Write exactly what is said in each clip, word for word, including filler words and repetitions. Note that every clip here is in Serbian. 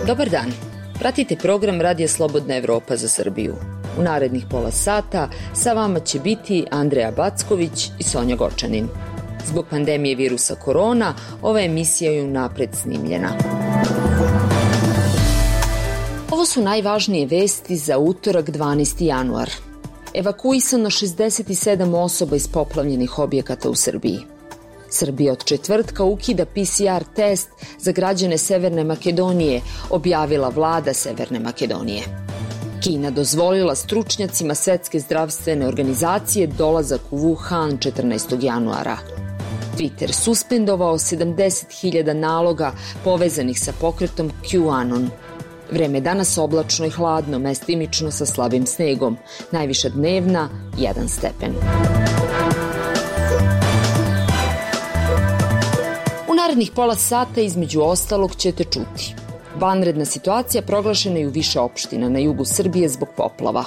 Dobar dan. Pratite program Radija Slobodna Evropa za Srbiju. U narednih pola sata sa vama će biti Andreja Backović i Sonja Gočanin. Zbog pandemije virusa korona, ova emisija je unapred snimljena. Ovo su najvažnije vesti za utorak dvanaesti januar. Evakuisano šezdeset sedam osoba iz poplavljenih objekata u Srbiji. Srbija od četvrtka ukida P C R test za građane Severne Makedonije, objavila vlada Severne Makedonije. Kina dozvolila stručnjacima Svetske zdravstvene organizacije dolazak u Wuhan četrnaestog januara. Twitter suspendovao sedamdeset hiljada naloga povezanih sa pokretom QAnon. Vreme danas oblačno i hladno, mestimično sa slabim snegom. Najviša dnevna jedan stepen. U narednih pola sata između ostalog ćete čuti. Vanredna situacija proglašena je u više opština na jugu Srbije zbog poplava.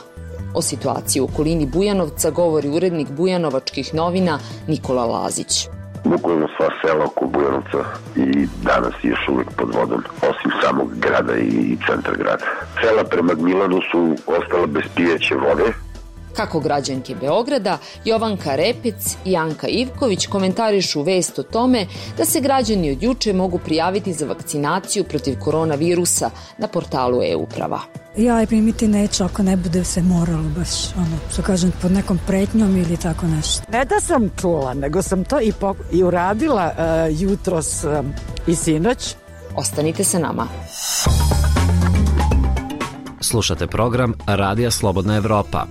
O situaciji u okolini Bujanovca govori urednik Bujanovačkih novina Nikola Lazić. Bukvalno sva sela oko Bujanovca i danas je još uvijek pod vodom, osim samog grada i centra grada. Sela prema Gnjilanu su ostala bez pijeće vode. Kako građanke Beograda, Jovanka Repec i Anka Ivković komentarišu vest o tome da se građani od juče mogu prijaviti za vakcinaciju protiv koronavirusa na portalu e-uprava. Ja je primiti neću ako ne bude se moralo baš, ono, što kažem, pod nekom pretnjom ili tako nešto. Ne da sam čula, nego sam to i, pok- i uradila uh, jutros uh, i sinoć. Ostanite sa nama. Slušate program Radija Slobodna Evropa.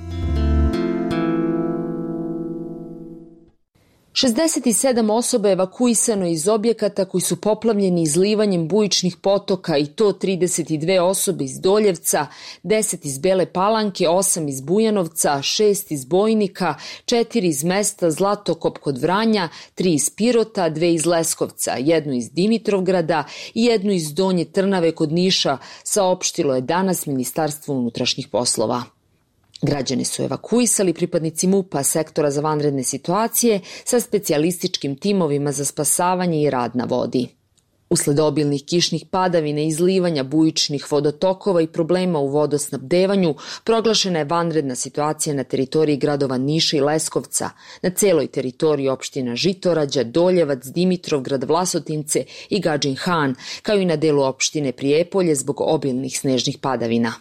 šezdeset sedam osoba je evakuisano iz objekata koji su poplavljeni izlivanjem bujičnih potoka i to trideset dve osobe iz Doljevca, deset iz Bele Palanke, osam iz Bujanovca, šest iz Bojnika, četiri iz mesta Zlatokop kod Vranja, tri iz Pirota, dve iz Leskovca, jednu iz Dimitrovgrada i jednu iz Donje Trnave kod Niša, saopštilo je danas Ministarstvo unutrašnjih poslova. Građane su evakuisali pripadnici MUP-a, sektora za vanredne situacije, sa specijalističkim timovima za spasavanje i rad na vodi. Usled obilnih kišnih padavina, izlivanja bujičnih vodotokova i problema u vodosnabdevanju, proglašena je vanredna situacija na teritoriji gradova Niša i Leskovca, na celoj teritoriji opština Žitorađa, Doljevac, Dimitrovgrad, Vlasotince i Gadžin Han, kao i na delu opštine Prijepolje zbog obilnih snežnih padavina.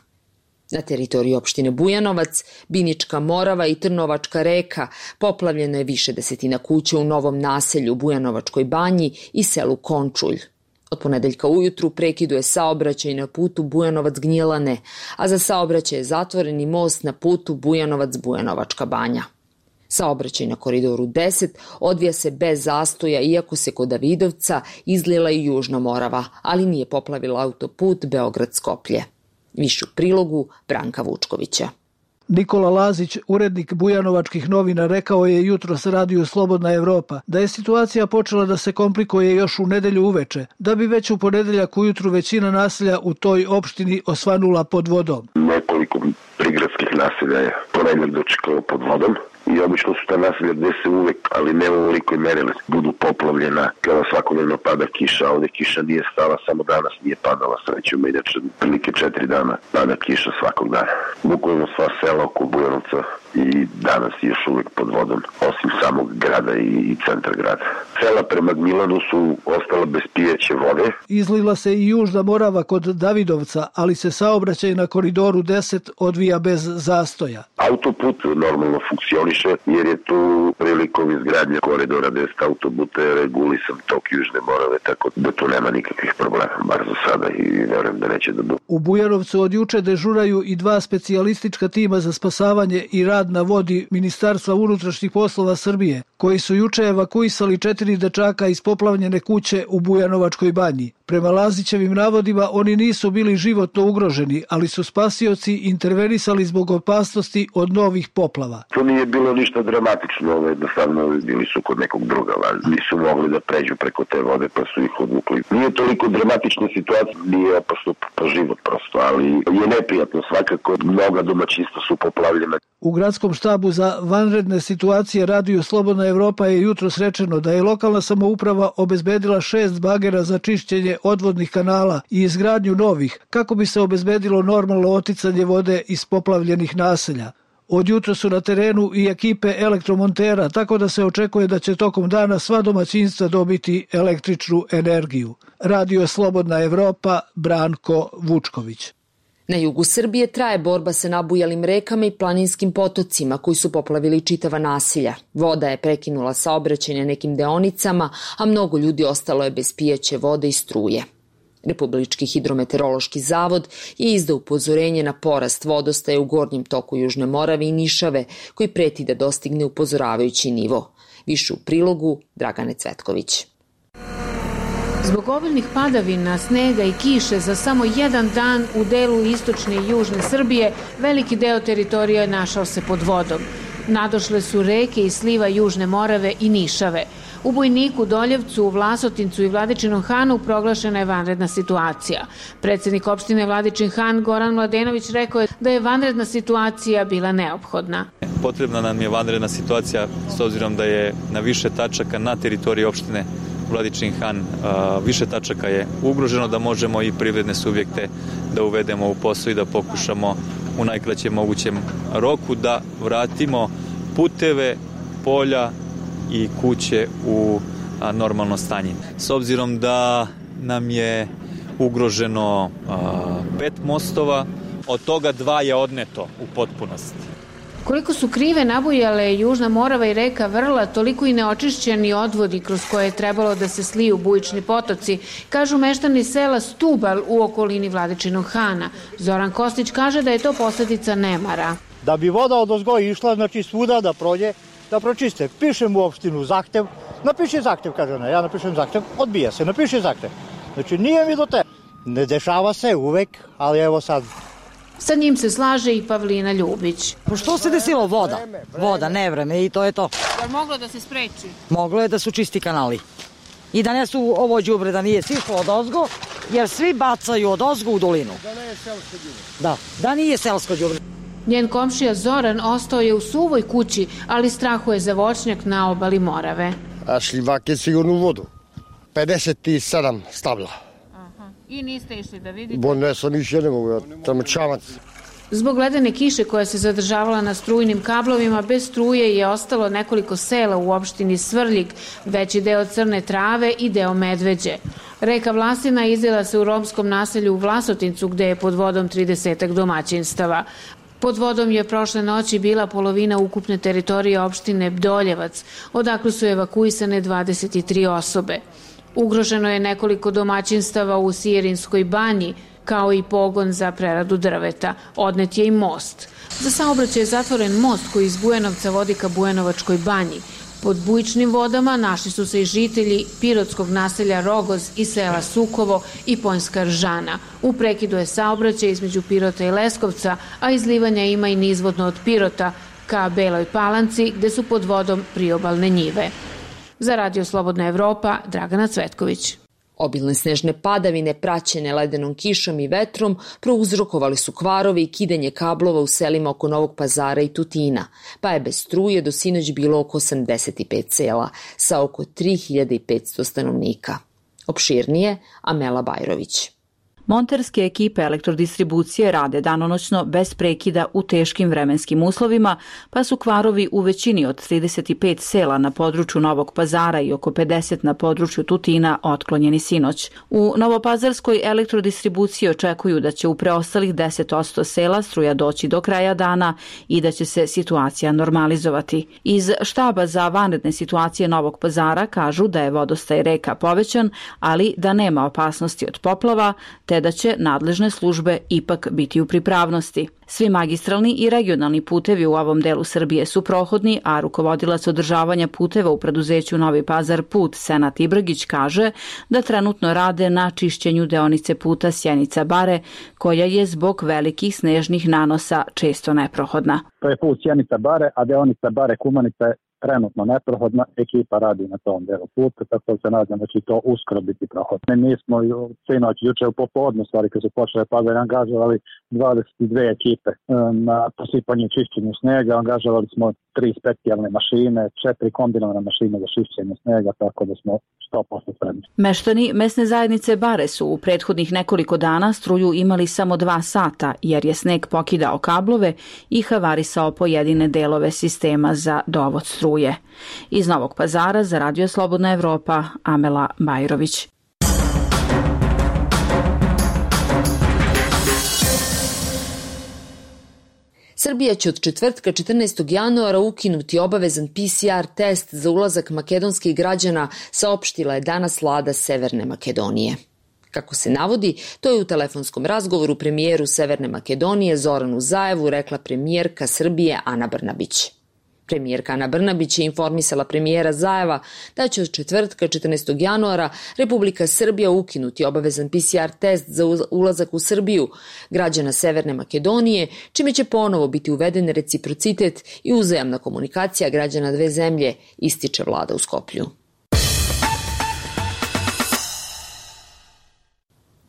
Na teritoriji opštine Bujanovac, Binička Morava i Trnovačka reka poplavljeno je više desetina kuća u novom naselju Bujanovačkoj banji i selu Končulj. Od ponedeljka ujutru prekiduje saobraćaj na putu Bujanovac-Gnjilane, a za saobraćaj je zatvoreni most na putu Bujanovac-Bujanovačka banja. Saobraćaj na koridoru deset odvija se bez zastoja, iako se kod Davidovca izlila i Južna Morava, ali nije poplavila autoput Beograd-Skoplje. Više u prilogu Branka Vučkovića. Nikola Lazić, urednik Bujanovačkih novina, rekao je jutros Radiju Slobodna Evropa da je situacija počela da se komplikuje još u nedelju uveče, da bi već u ponedeljak ujutru većina naselja u toj opštini osvanula pod vodom. Nekoliko prigradskih naselja je ponedeljak dočekalo pod vodom i obično su ta naselja gde se uvek, ali ne u ovolikoj meri, budu poplavljena kada svakodnevno pada kiša. Ovdje kiša nije stala, samo danas nije padala, srećom, inače prilike četiri dana pada kiša svakog dana. Bukvalno sva sela oko Bujanovca i danas je još uvijek pod vodom, osim samog grada i centra grada. Sela prema Gnjilanu su ostala bez pijeće vode. Izlila se i Južna Morava kod Davidovca, ali se saobraćaj na koridoru deset odvija bez zastoja. Autoput normalno funkcioniše jer je tu prilikom izgradnje koridora deset autoputa regulisan tok Južne Morave, tako da tu nema nikakvih problema, bar za sada, i verujem da neće da bude. U Bujanovcu od juče dežuraju i dva specijalistička tima za spasavanje i rad na vodi Ministarstva unutrašnjih poslova Srbije, koji su juče evakuisali četiri dečaka iz poplavljene kuće u Bujanovačkoj banji. Prema Lazićevim navodima, oni nisu bili životno ugroženi, ali su spasioci intervenisali zbog opasnosti od novih poplava. To nije bilo ništa dramatično, jednostavno bili su kod nekog druga, nisu mogli da pređu preko te vode pa su ih odvukli. Nije toliko dramatična situacija, nije opasno po život prosto, ali je neprijatno svakako, mnoga domaćinstva su poplavljena. U gradskom štabu za vanredne situacije Radiju Slobodna Slobodna Evropa je jutros rečeno da je lokalna samouprava obezbedila šest bagera za čišćenje odvodnih kanala i izgradnju novih, kako bi se obezbedilo normalno oticanje vode iz poplavljenih naselja. Od jutra su na terenu i ekipe elektromontera, tako da se očekuje da će tokom dana sva domaćinstva dobiti električnu energiju. Radio Slobodna Evropa, Branko Vučković. Na jugu Srbije traje borba sa nabujalim rekama i planinskim potocima koji su poplavili čitava naselja. Voda je prekinula saobraćaj na nekim deonicama, a mnogo ljudi ostalo je bez pijaće vode i struje. Republički hidrometeorološki zavod je izdao upozorenje na porast vodostaja u gornjem toku Južne Morave i Nišave, koji preti da dostigne upozoravajući nivo. Više u prilogu Dragane Cvetković. Zbog obilnih padavina, snega i kiše za samo jedan dan u delu istočne i južne Srbije, veliki deo teritorija našao se pod vodom. Nadošle su reke i sliva Južne Morave i Nišave. U Bojniku, Doljevcu, Vlasotincu i Vladičinom Hanu proglašena je vanredna situacija. Predsednik opštine Vladičin Han Goran Mladenović rekao je da je vanredna situacija bila neophodna. Potrebna nam je vanredna situacija s obzirom da je na više tačaka na teritoriji opštine Vladičin Han više tačaka je ugroženo, da možemo i privredne subjekte da uvedemo u posao i da pokušamo u najkraćem mogućem roku da vratimo puteve, polja i kuće u normalno stanje. S obzirom da nam je ugroženo pet mostova, od toga dva je odneto u potpunosti. Koliko su krive nabujale Južna Morava i reka Vrla, toliko i neočišćeni odvodi kroz koje je trebalo da se sliju bujični potoci, kažu meštani sela Stubal u okolini Vladičinog Hana. Zoran Kostić kaže da je to posljedica nemara. Da bi voda odozgo išla, znači svuda da prođe, da pročiste. Pišem u opštinu zahtev, napiši zahtev, kaže ona, ja napišem zahtev, odbija se, napiši zahtev. Znači nije mi do te. Ne dešava se uvek, ali evo sad. Sa njim se slaže i Pavlina Ljubić. Što se desilo? Voda. Voda, nevreme i to je to. Je moglo da se spreči? Moglo je da su čisti kanali. I da ne su ovo đubre, da nije sišlo od ozgo, jer svi bacaju od ozgo u dolinu. Da nije selsko đubre. Da, da nije selsko đubre. Njen komšija Zoran ostao je u suvoj kući, ali strahuje za voćnjak na obali Morave. A šljivak je sigurno u vodu. pedeset sedam stabla. I niste išli da vidite? Bo ne sam išli, ne mogu, tamo čamac. Zbog ledene kiše koja se zadržavala na strujnim kablovima, bez struje je ostalo nekoliko sela u opštini Svrljig, veći deo Crne Trave i deo Medveđe. Reka Vlasina izlila se u romskom naselju u Vlasotincu, gde je pod vodom tridesetak domaćinstava. Pod vodom je prošle noći bila polovina ukupne teritorije opštine Doljevac, odakle su evakuisane dvadeset tri osobe. Ugroženo je nekoliko domaćinstava u Sijerinskoj banji, kao i pogon za preradu drveta. Odnet je i most. Za saobraćaj je zatvoren most koji iz Bujanovca vodi ka Bujanovačkoj banji. Pod bujičnim vodama našli su se i žitelji pirotskog naselja Rogoz i sela Sukovo i Ponjska Ržana. U prekidu je saobraćaj između Pirota i Leskovca, a izlivanja ima i nizvodno od Pirota ka Beloj Palanci, gde su pod vodom priobalne njive. Za Radio Slobodna Evropa, Dragana Cvetković. Obilne snežne padavine praćene ledenom kišom i vetrom prouzrokovali su kvarove i kidanje kablova u selima oko Novog Pazara i Tutina, pa je bez struje do sinoć bilo oko osamdeset pet sela sa oko tri hiljade petsto stanovnika. Opširnije, Amela Bajrović. Monterske ekipe elektrodistribucije rade danonoćno bez prekida u teškim vremenskim uslovima, pa su kvarovi u većini od trideset pet sela na području Novog Pazara i oko pedeset na području Tutina otklonjeni sinoć. U Novopazarskoj elektrodistribuciji očekuju da će u preostalih deset posto sela struja doći do kraja dana i da će se situacija normalizovati. Iz štaba za vanredne situacije Novog Pazara kažu da je vodostaj reka povećan, ali da nema opasnosti od poplava, te da će nadležne službe ipak biti u pripravnosti. Svi magistralni i regionalni putevi u ovom delu Srbije su prohodni, a rukovodilac održavanja puteva u preduzeću Novi Pazar Put Senat Ibragić kaže da trenutno rade na čišćenju deonice puta Sjenica-Bare, koja je zbog velikih snežnih nanosa često neprohodna. To je put Sjenica-Bare, a deonica Bare-Kumanica je trenutno neprohodna, ekipa radi na tom delu puta, tako se nadam da će to uskoro biti prohodno. Mi smo sinoć, juče u popodne, stvari kad su počele padati, angažovali dvadeset dve ekipe na posipanje i čišćenju snega, angažovali smo tri specijalne mašine, četiri kombinovane mašine za čišćenje snega, tako da smo sto posto spremni. Meštani mesne zajednice Bare su u prethodnih nekoliko dana struju imali samo dva sata, jer je sneg pokidao kablove i havarisao pojedine delove sistema za dovod struje. Iz Novog Pazara za Radio Slobodna Evropa, Amela Bajrović. Srbija će od četvrtka četrnaestog januara ukinuti obavezan P C R test za ulazak makedonskih građana, saopštila je danas vlada Severne Makedonije. Kako se navodi, to je u telefonskom razgovoru premijeru Severne Makedonije Zoranu Zaevu rekla premijerka Srbije Ana Brnabić. Premijerka Ana Brnabić je informisala premijera Zaeva da će od četvrtka četrnaestog januara Republika Srbija ukinuti obavezan P C R test za ulazak u Srbiju građana Severne Makedonije, čime će ponovo biti uveden reciprocitet i uzajamna komunikacija građana dve zemlje, ističe vlada u Skoplju.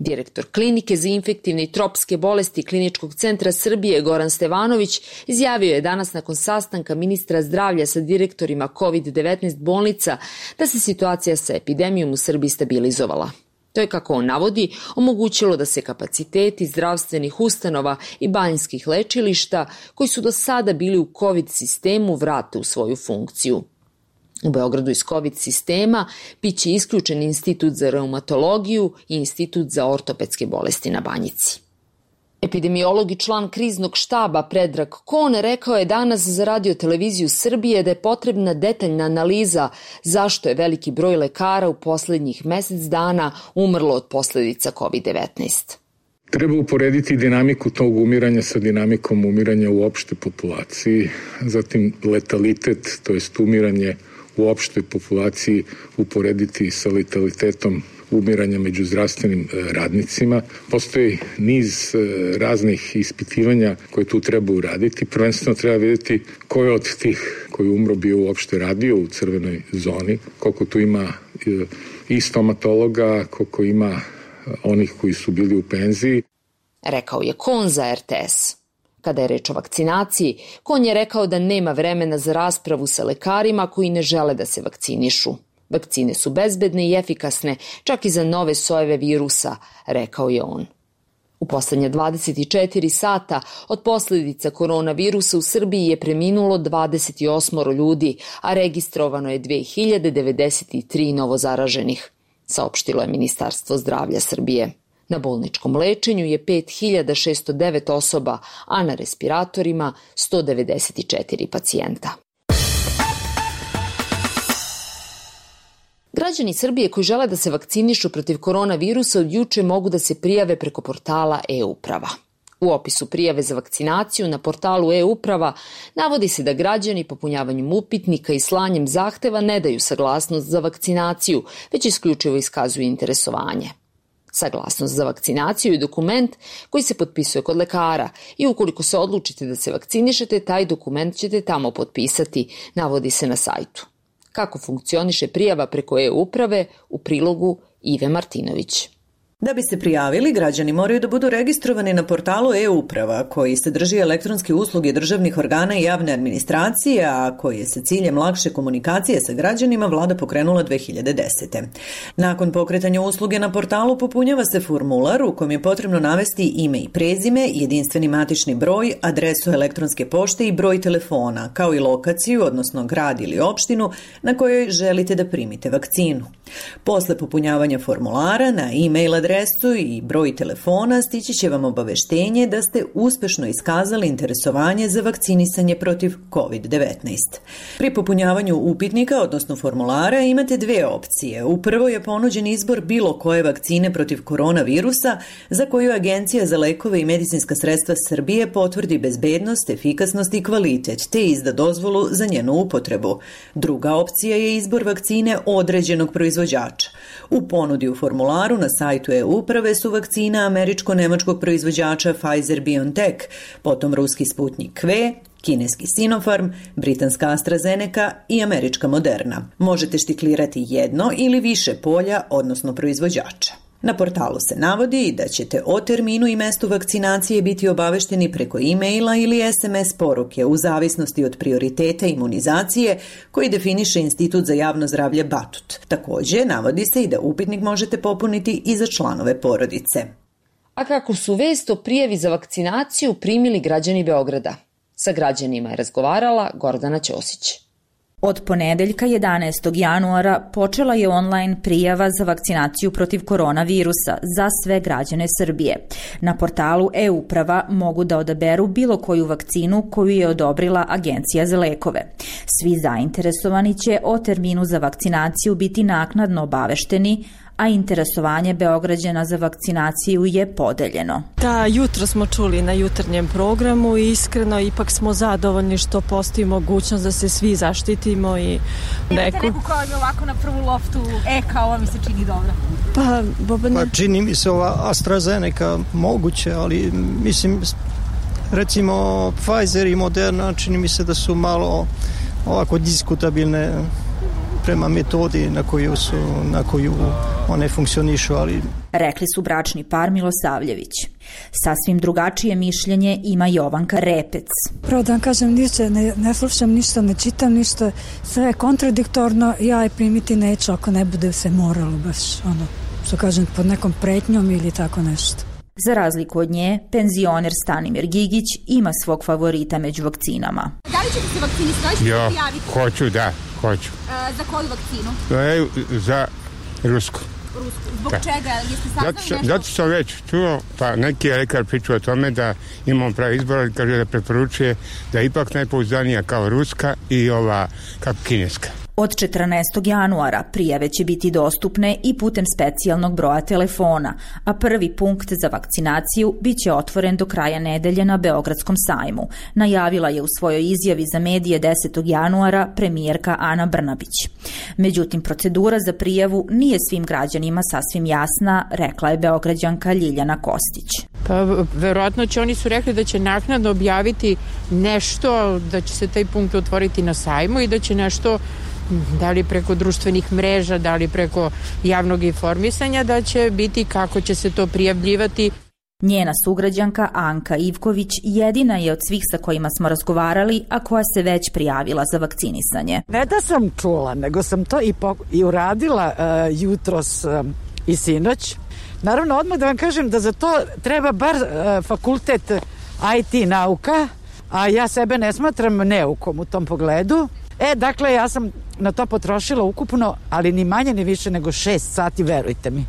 Direktor Klinike za infektivne i tropske bolesti Kliničkog centra Srbije Goran Stevanović izjavio je danas nakon sastanka ministra zdravlja sa direktorima kovid devetnaest bolnica da se situacija sa epidemijom u Srbiji stabilizovala. To je, kako on navodi, omogućilo da se kapaciteti zdravstvenih ustanova i banjskih lečilišta, koji su do sada bili u kovid sistemu, vrate u svoju funkciju. U Beogradu iz kovid sistema biće isključen Institut za reumatologiju i Institut za ortopedske bolesti na Banjici. Epidemiolog i član kriznog štaba Predrag Kon rekao je danas za Radio televiziju Srbije da je potrebna detaljna analiza zašto je veliki broj lekara u poslednjih mesec dana umrlo od posledica kovid devetnaest. Treba uporediti dinamiku tog umiranja sa dinamikom umiranja u opštoj populaciji, zatim letalitet, to jest umiranje u opštoj populaciji uporediti sa letalitetom umiranja među zdravstvenim radnicima. Postoji niz raznih ispitivanja koje tu treba uraditi. Prvenstveno treba vidjeti ko je od tih koji umro bio uopšte radio u crvenoj zoni, koliko tu ima i stomatologa, koliko ima onih koji su bili u penziji. Rekao je Kon za R T S. Kada je reč o vakcinaciji, Kon je rekao da nema vremena za raspravu sa lekarima koji ne žele da se vakcinišu. Vakcine su bezbedne i efikasne, čak i za nove sojeve virusa, rekao je on. U poslednja dvadeset četiri sata od posledica koronavirusa u Srbiji je preminulo dvadeset osam ljudi, a registrovano je dve hiljade devedeset tri novozaraženih, saopštilo je Ministarstvo zdravlja Srbije. Na bolničkom lečenju je pet hiljada šessto devet osoba, a na respiratorima sto devedeset četiri pacijenta. Građani Srbije koji žele da se vakcinišu protiv koronavirusa od juče mogu da se prijave preko portala e-uprava. U opisu prijave za vakcinaciju na portalu e-uprava navodi se da građani popunjavanjem upitnika i slanjem zahteva ne daju saglasnost za vakcinaciju, već isključivo iskazuju interesovanje. Saglasnost za vakcinaciju je dokument koji se potpisuje kod lekara i ukoliko se odlučite da se vakcinišete, taj dokument ćete tamo potpisati, navodi se na sajtu. Kako funkcioniše prijava preko e-uprave, u prilogu Ive Martinović. Da bi se prijavili, građani moraju da budu registrovani na portalu e-uprava, koji sadrži elektronske usluge državnih organa i javne administracije, a koji je sa ciljem lakše komunikacije sa građanima vlada pokrenula dve hiljade desete. Nakon pokretanja usluge na portalu popunjava se formular u kojem je potrebno navesti ime i prezime, jedinstveni matični broj, adresu elektronske pošte i broj telefona, kao i lokaciju, odnosno grad ili opštinu na kojoj želite da primite vakcinu. Posle popunjavanja formulara na e-mail adresu i broj telefona stići će vam obaveštenje da ste uspešno iskazali interesovanje za vakcinisanje protiv kovid devetnaest. Pri popunjavanju upitnika, odnosno formulara, imate dve opcije. U prvoj je ponuđen izbor bilo koje vakcine protiv koronavirusa za koju Agencija za lekove i medicinska sredstva Srbije potvrdi bezbednost, efikasnost i kvalitet, te izda dozvolu za njenu upotrebu. Druga opcija je izbor vakcine određenog proizvođača. U ponudi u formularu na sajtu e-uprave su vakcina američko-nemačkog proizvođača Pfizer-BioNTech, potom ruski Sputnik V, kineski Sinopharm, britanska AstraZeneca i američka Moderna. Možete štiklirati jedno ili više polja, odnosno proizvođača. Na portalu se navodi da ćete o terminu i mestu vakcinacije biti obavešteni preko e-maila ili es em es poruke u zavisnosti od prioriteta imunizacije koji definiše Institut za javno zdravlje Batut. Takođe, navodi se i da upitnik možete popuniti i za članove porodice. A kako su vest o prijavi za vakcinaciju primili građani Beograda? Sa građanima je razgovarala Gordana Ćosić. Od ponedeljka jedanaestog januara počela je online prijava za vakcinaciju protiv koronavirusa za sve građane Srbije. Na portalu e-uprava mogu da odaberu bilo koju vakcinu koju je odobrila Agencija za lekove. Svi zainteresovani će o terminu za vakcinaciju biti naknadno obavešteni, a interesovanje Beograđana za vakcinaciju je podeljeno. Da, jutro smo čuli na jutarnjem programu i iskreno ipak smo zadovoljni što postoji mogućnost da se svi zaštitimo i neku... Imate neku koja je ovako na prvu loftu, e, kao ovo mi se čini dobro? Pa, Boban... pa čini mi se ova AstraZeneca moguće, ali mislim, recimo Pfizer i Moderna čini mi se da su malo ovako diskutabilne prema metodi na koju su, na koju one funkcionišu, ali... Rekli su bračni par Milosavljević. Sasvim drugačije mišljenje ima Jovanka Repec. Prvo da vam kažem, ništa, ne, ne slušam ništa, ne čitam ništa, sve je kontradiktorno, ja je primiti neću ako ne bude se moralo baš, ono, što kažem, pod nekom pretnjom ili tako nešto. Za razliku od nje, penzioner Stanimir Gigić ima svog favorita među vakcinama. Da li ćete se vakcinisati? Jo, hoću, da, hoću. E, za koju vakcinu? E, za rusku. Rusku. Zbog da. Čega? Jeste saznali nešto? Zato sam već čuo, pa neki lekar pričao o tome da imamo pravi izbor, kaže da preporučuje da je ipak najpouzdanija kao ruska i ova kako kineska. Od četrnaestog januara prijave će biti dostupne i putem specijalnog broja telefona, a prvi punkt za vakcinaciju biće otvoren do kraja nedelje na Beogradskom sajmu, najavila je u svojoj izjavi za medije desetog januara premijerka Ana Brnabić. Međutim, procedura za prijavu nije svim građanima sasvim jasna, rekla je Beograđanka Ljiljana Kostić. Pa, verovatno će, oni su rekli da će naknadno objaviti nešto, da će se taj punkt otvoriti na sajmu i da će nešto, da li preko društvenih mreža, da li preko javnog informisanja, da će biti kako će se to prijavljivati. Njena sugrađanka Anka Ivković jedina je od svih sa kojima smo razgovarali, a koja se već prijavila za vakcinisanje. Ne da sam čula, nego sam to i, po, i uradila uh, jutros uh, i sinoć. Naravno, odmah da vam kažem da za to treba bar uh, fakultet I T nauka, a ja sebe ne smatram neukom u tom pogledu. E, dakle, ja sam na to potrošila ukupno, ali ni manje ni više nego šest sati, verujte mi.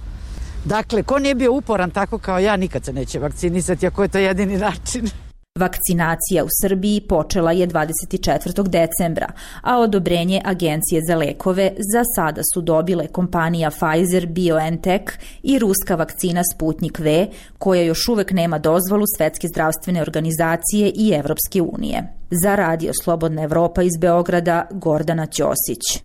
Dakle, ko nije bio uporan tako kao ja, nikad se neće vakcinisati, ako je to jedini način. Vakcinacija u Srbiji počela je dvadeset četvrtog decembra, a odobrenje Agencije za lekove za sada su dobile kompanija Pfizer, BioNTech i ruska vakcina Sputnik V, koja još uvek nema dozvolu Svetske zdravstvene organizacije i Evropske unije. Za Radio Slobodna Evropa iz Beograda, Gordana Ćosić.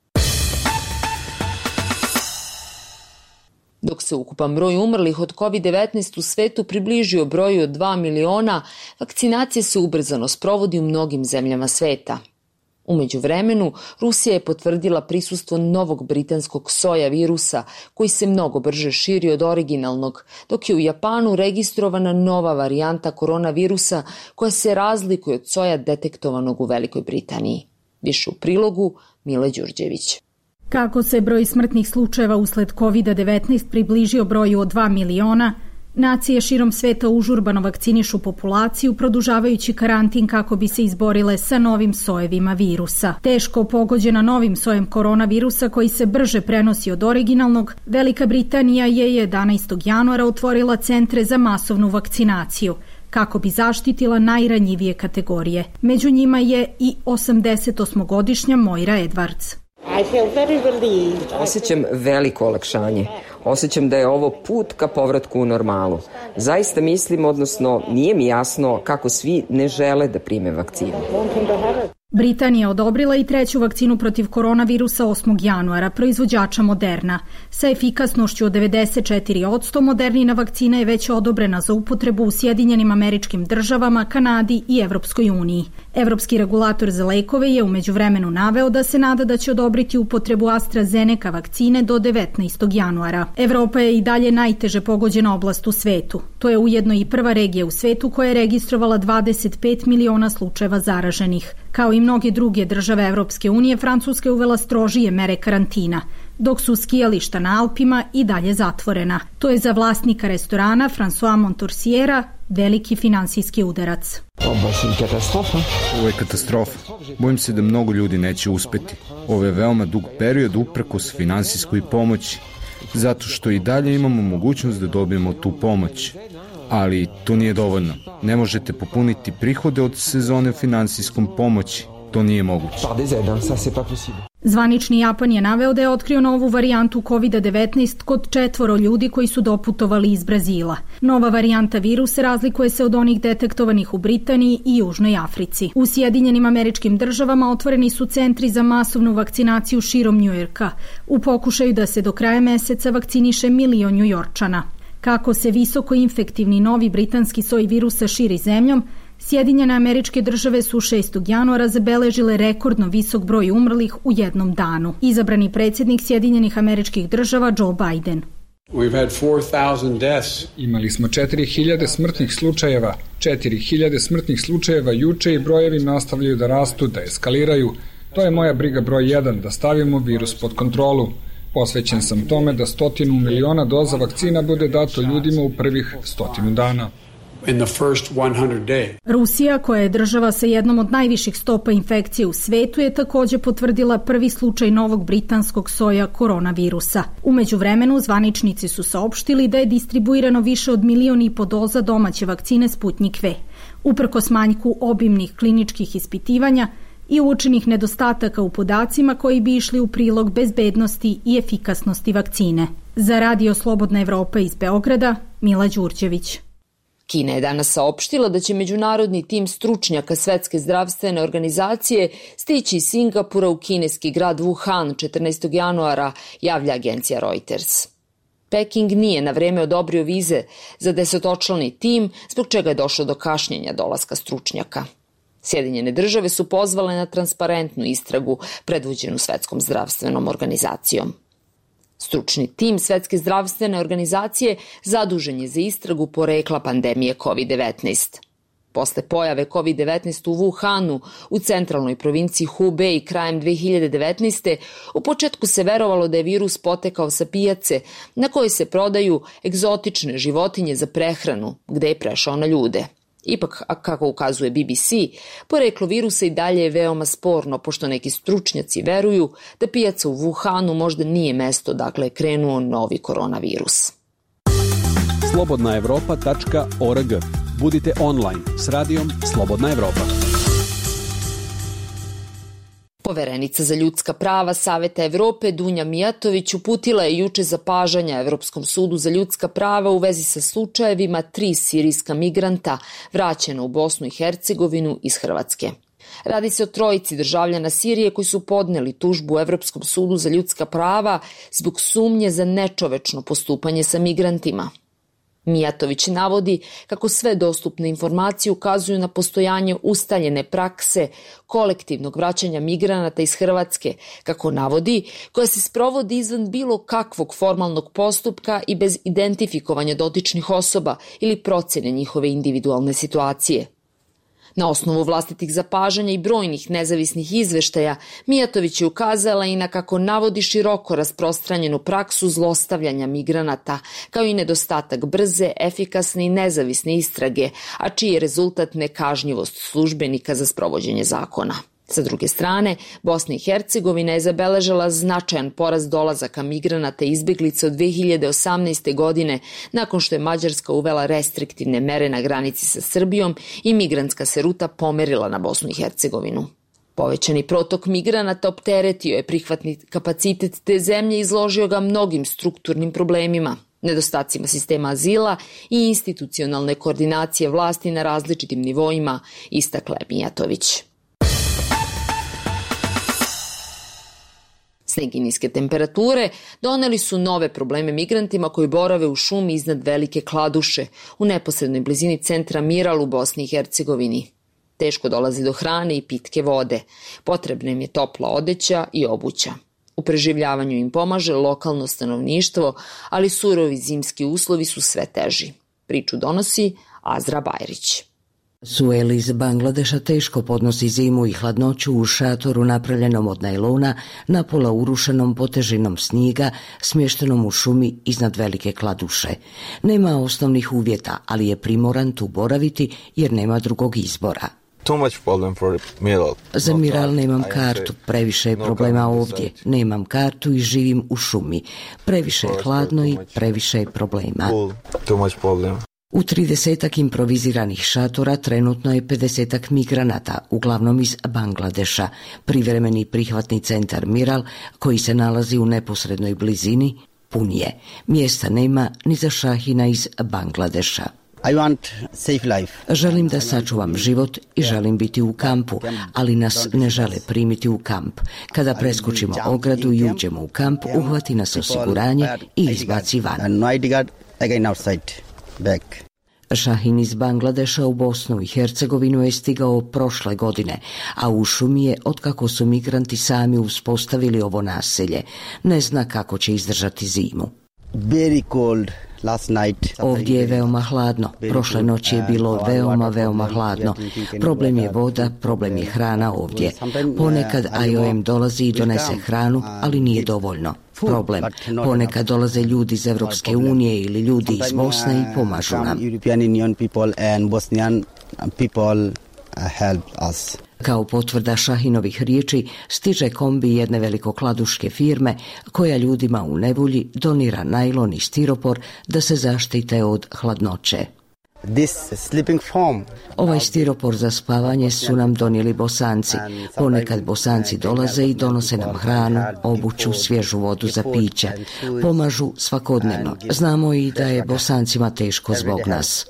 Dok se ukupan broj umrlih od kovid devetnaest u svetu približio broju od dva miliona, vakcinacija se ubrzano sprovodi u mnogim zemljama sveta. Umeđu vremenu, Rusija je potvrdila prisustvo novog britanskog soja virusa, koji se mnogo brže širi od originalnog, dok je u Japanu registrovana nova varijanta koronavirusa koja se razlikuje od soja detektovanog u Velikoj Britaniji. Više u prilogu Mile Đurđević. Kako se broj smrtnih slučajeva usled kovid devetnaest približio broju od dva miliona, nacije širom sveta užurbano vakcinišu populaciju, produžavajući karantin kako bi se izborile sa novim sojevima virusa. Teško pogođena novim sojem koronavirusa koji se brže prenosi od originalnog, Velika Britanija je jedanaestog januara otvorila centre za masovnu vakcinaciju kako bi zaštitila najranjivije kategorije. Među njima je i osamdesetosmogodišnja Moira Edwards. Osjećam veliko olakšanje. Osjećam da je ovo put ka povratku u normalu. Zaista mislim, odnosno nije mi jasno kako svi ne žele da prime vakcinu. Britanija odobrila i treću vakcinu protiv koronavirusa osmog januara, proizvođača Moderna. Sa efikasnošću od devedeset četiri posto Modernina vakcina je već odobrena za upotrebu u Sjedinjenim Američkim Državama, Kanadi i Evropskoj uniji. Evropski regulator za lekove je u međuvremenu naveo da se nada da će odobriti upotrebu AstraZeneca vakcine do devetnaestog januara. Evropa je i dalje najteže pogođena oblast u svetu. To je ujedno i prva regija u svetu koja je registrovala dvadeset pet miliona slučajeva zaraženih. Kao i mnoge druge države Evropske unije, Francuska je uvela strožije mere karantina, dok su skijališta na Alpima i dalje zatvorena. To je za vlasnika restorana François Montorsiera veliki finansijski udarac. Ovo je katastrofa. Bojim se da mnogo ljudi neće uspeti. Ovo je veoma dug period uprkos finansijskoj pomoći, zato što i dalje imamo mogućnost da dobijemo tu pomoć. Ali to nije dovoljno. Ne možete popuniti prihode od sezone finansijskom pomoći. To nije moguće. Zvanični Japan je naveo da je otkrio novu varijantu kovid devetnaest kod četvoro ljudi koji su doputovali iz Brazila. Nova varijanta virusa razlikuje se od onih detektovanih u Britaniji i Južnoj Africi. U Sjedinjenim Američkim Državama otvoreni su centri za masovnu vakcinaciju širom Njujorka u pokušaju da se do kraja meseca vakciniše milion Njujorčana. Kako se visoko infektivni novi britanski soj virusa širi zemljom, Sjedinjene Američke Države su šestog januara zabeležile rekordno visok broj umrlih u jednom danu. Izabrani predsjednik Sjedinjenih Američkih Država Joe Biden. Imali smo četiri hiljade smrtnih slučajeva, četiri hiljade smrtnih slučajeva juče i brojevi nastavljaju da rastu, da eskaliraju. To je moja briga broj jedan, da stavimo virus pod kontrolu. Posvećen sam tome da stotinu miliona doza vakcina bude dato ljudima u prvih stotinu dana. In the first hundred days. Rusija, koja je država sa jednom od najviših stopa infekcije u svetu, je također potvrdila prvi slučaj novog britanskog soja koronavirusa. U međuvremenu zvaničnici su saopštili da je distribuirano više od milion i po doza domaće vakcine Sputnik V. Uprkos manjku obimnih kliničkih ispitivanja i uočenih nedostataka u podacima koji bi išli u prilog bezbednosti i efikasnosti vakcine. Za Radio Slobodna Evropa iz Beograda, Mila Đurđević. Kina je danas saopštila da će međunarodni tim stručnjaka Svetske zdravstvene organizacije stići iz Singapura u kineski grad Wuhan četrnaestog januara, javlja agencija Reuters. Peking nije na vreme odobrio vize za desetočlani tim, zbog čega je došlo do kašnjenja dolaska stručnjaka. Sjedinjene države su pozvale na transparentnu istragu predvođenu Svetskom zdravstvenom organizacijom. Stručni tim Svetske zdravstvene organizacije zadužen je za istragu porekla pandemije kovid devetnaest. Posle pojave kovid devetnaest u Wuhanu, u centralnoj provinciji Hubei krajem dve hiljade devetnaeste. u početku se verovalo da je virus potekao sa pijace na kojoj se prodaju egzotične životinje za prehranu, gde je prešao na ljude. Ipak, kako ukazuje B B C, poreklo virusa i dalje je veoma sporno, pošto neki stručnjaci veruju da pijaca u Wuhanu možda nije mesto dakle je krenuo novi koronavirus. slobodna evropa tačka org. Budite online s radijom Slobodna Evropa. Poverenica za ljudska prava Saveta Evrope Dunja Mijatović uputila je juče zapažanja Evropskom sudu za ljudska prava u vezi sa slučajevima tri sirijska migranta vraćena u Bosnu i Hercegovinu iz Hrvatske. Radi se o trojici državljana Sirije koji su podneli tužbu Evropskom sudu za ljudska prava zbog sumnje za nečovečno postupanje sa migrantima. Mijatović navodi kako sve dostupne informacije ukazuju na postojanje ustaljene prakse kolektivnog vraćanja migranata iz Hrvatske, kako navodi, koja se sprovodi izvan bilo kakvog formalnog postupka i bez identifikovanja dotičnih osoba ili procjene njihove individualne situacije. Na osnovu vlastitih zapažanja i brojnih nezavisnih izveštaja, Mijatović je ukazala i na kako navodi široko rasprostranjenu praksu zlostavljanja migranata, kao i nedostatak brze, efikasne i nezavisne istrage, a čiji je rezultat nekažnjivost službenika za sprovođenje zakona. Sa druge strane, Bosna i Hercegovina je zabeležila značajan porast dolazaka migranata i izbeglica od dve hiljade osamnaeste. godine, nakon što je Mađarska uvela restriktivne mere na granici sa Srbijom i migrantska se ruta pomerila na Bosnu i Hercegovinu. Povećani protok migranata opteretio je prihvatni kapacitet te zemlje i izložio ga mnogim strukturnim problemima, nedostacima sistema azila i institucionalne koordinacije vlasti na različitim nivoima, istakla je Mijatović. Sneg i niske temperature doneli su nove probleme migrantima koji borave u šumi iznad Velike Kladuše, u neposrednoj blizini centra Miral u Bosni i Hercegovini. Teško dolazi do hrane i pitke vode. Potrebna im je topla odeća i obuća. U preživljavanju im pomaže lokalno stanovništvo, ali surovi zimski uslovi su sve teži. Priču donosi Azra Bajrić. Suel iz Bangladeša teško podnosi zimu i hladnoću u šatoru napravljenom od najlona, napola urušenom potežinom snijega, smještenom u šumi iznad velike kladuše. Nema osnovnih uvjeta, ali je primoran tu boraviti jer nema drugog izbora. Za Miral nemam kartu, previše je problema ovdje. Nemam kartu i živim u šumi. Previše je hladno i previše je problema. U tridesetak improviziranih šatora trenutno je pedesetak migranata, uglavnom iz Bangladeša. Privremeni prihvatni centar Miral, koji se nalazi u neposrednoj blizini, pun je. Mjesta nema ni za Šahina iz Bangladeša. I want safe life. Želim da sačuvam život i želim biti u kampu, ali nas ne žele primiti u kamp. Kada preskočimo ogradu i uđemo u kamp, uhvati nas osiguranje i izbaci van. Šahin iz Bangladeša u Bosnu i Hercegovinu je stigao prošle godine, a u šumi je otkako su migranti sami uspostavili ovo naselje. Ne zna kako će izdržati zimu. Very cold. Ovdje je veoma hladno. Prošle noći je bilo veoma, veoma hladno. Problem je voda, problem je hrana ovdje. Ponekad I O M dolazi i donese hranu, ali nije dovoljno. Problem. Ponekad dolaze ljudi iz Evropske unije ili ljudi iz Bosne i pomažu nam. Kao potvrda Šahinovih riječi, stiže kombi jedne velikokladuške firme koja ljudima u nevolji donira najlon i stiropor da se zaštite od hladnoće. Ovaj stiropor za spavanje su nam donijeli Bosanci. Ponekad Bosanci dolaze i donose nam hranu, obuću, svježu vodu za piće. Pomažu svakodnevno. Znamo i da je Bosancima teško zbog nas.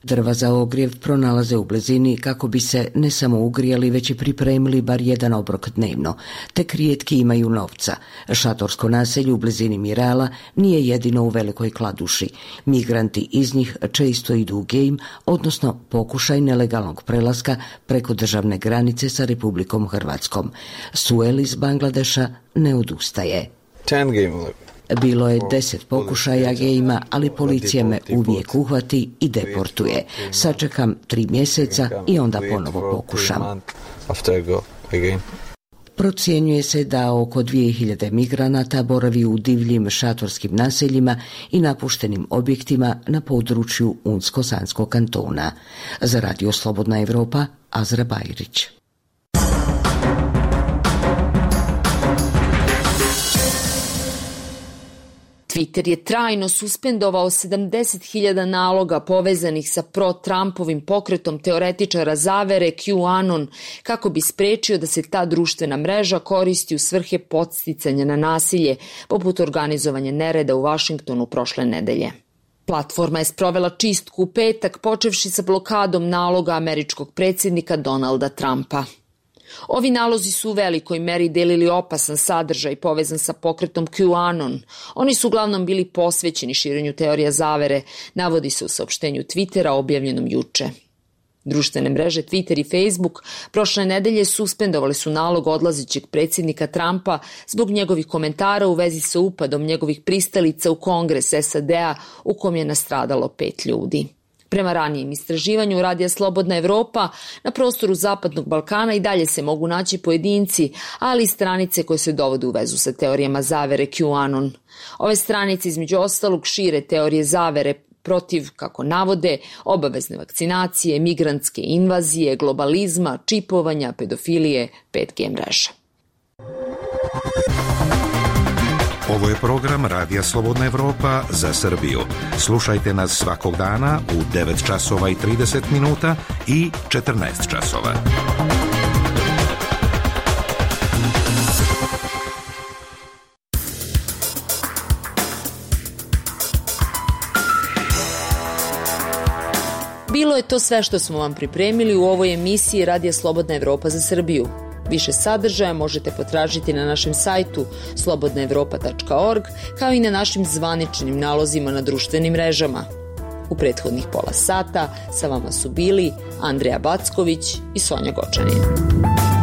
Drva za ogrjev pronalaze u blizini kako bi se ne samo ugrijali, već i pripremili bar jedan obrok dnevno. Tek rijetki imaju novca. Šatorsko naselje u blizini Mirala nije jedino u Velikoj Kladuši. Migranti iz njih često idu u gejm, odnosno pokušaj nelegalnog prelaska preko državne granice sa Republikom Hrvatskom. Suel iz Bangladeša ne odustaje. Bilo je deset pokušaja gejma, ali policija me uvijek uhvati i deportuje. Sačekam tri mjeseca i onda ponovo pokušam. Procjenjuje se da oko dvije hiljade migranata boravi u divljim šatorskim naseljima i napuštenim objektima na području Unsko-Sanskog kantona. Za Radio Slobodna Evropa, Azra Bajrić. Twitter je trajno suspendovao sedamdeset hiljada naloga povezanih sa pro-Trumpovim pokretom teoretičara zavere QAnon kako bi sprečio da se ta društvena mreža koristi u svrhe podsticanja na nasilje, poput organizovanja nereda u Vašingtonu prošle nedelje. Platforma je sprovela čistku u petak, počevši sa blokadom naloga američkog predsjednika Donalda Trumpa. Ovi nalozi su u velikoj meri delili opasan sadržaj povezan sa pokretom QAnon. Oni su uglavnom bili posvećeni širenju teorija zavere, navodi se u saopštenju Twittera objavljenom juče. Društvene mreže Twitter i Facebook prošle nedelje suspendovali su nalog odlazećeg predsjednika Trumpa zbog njegovih komentara u vezi sa upadom njegovih pristalica u Kongres S A D-a u kom je nastradalo pet ljudi. Prema ranijem istraživanju Radija Slobodna Evropa, na prostoru Zapadnog Balkana i dalje se mogu naći pojedinci, ali i stranice koje se dovode u vezu sa teorijama zavere QAnon. Ove stranice između ostalog šire teorije zavere protiv, kako navode, obavezne vakcinacije, migrantske invazije, globalizma, čipovanja, pedofilije, pet G mreža. Ovo je program Radija Slobodna Evropa za Srbiju. Slušajte nas svakog dana u devet časova i trideset minuta i četrnaest časova. Bilo je to sve što smo vam pripremili u ovoj emisiji Radija Slobodna Evropa za Srbiju. Više sadržaja možete potražiti na našem sajtu slobodna evropa tačka org, kao i na našim zvaničnim nalozima na društvenim mrežama. U prethodnih pola sata sa vama su bili Andreja Backović i Sonja Gočanin.